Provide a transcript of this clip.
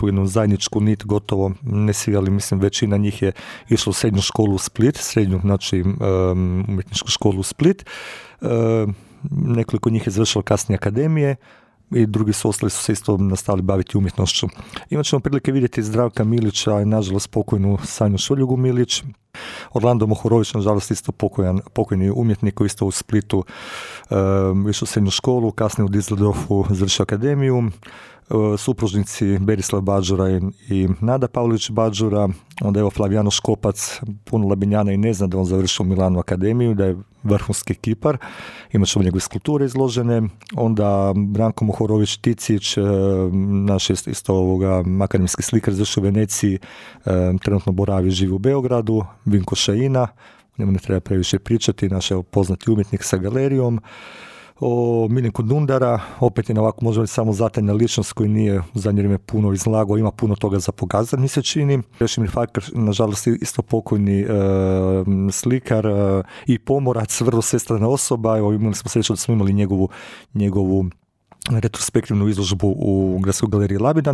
jednu zajedničku nit, gotovo ne svi, ali mislim većina njih je išla u srednju školu u Split, znači umjetničku školu u Split. Nekoliko njih je završilo kasnije akademije i drugi su ostali su se isto nastavili baviti umjetnošću. Imat ćemo prilike vidjeti Zdravka Milića i nažalost pokojnu Sanju Šuljugu Milić. Orlando Mohorović, nažalost isto pokojni umjetnik koji isto u Splitu išao u srednju školu, kasnije u Düsseldorfu završio akademiju. Supružnici Berislav Bađura i Nada Pavlović Bađura, onda evo Flavijano Škopac, puno Labinjana i ne zna da on završio u Milanu akademiju, da je vrhunski kipar, imat ćemo njegove skulpture izložene, onda Branko Mohorović Ticić, naš isto akademski slikar, završio u Veneciji, trenutno boravi, živi u Beogradu, Vinko Šajina, njemu ne treba previše pričati, naš poznati umjetnik sa galerijom. O Miljenku Dundara, opet je na ovako možda samo zatajna ličnost koji nije u zadnje vrijeme puno izlagao, ima puno toga za pokazati, mi se čini. Krešimir Fakar, nažalost isto pokojni slikar i pomorac, vrlo svestrana osoba. Evo, imali smo sreću da smo imali njegovu retrospektivnu izložbu u Gradskoj galeriji Labidan.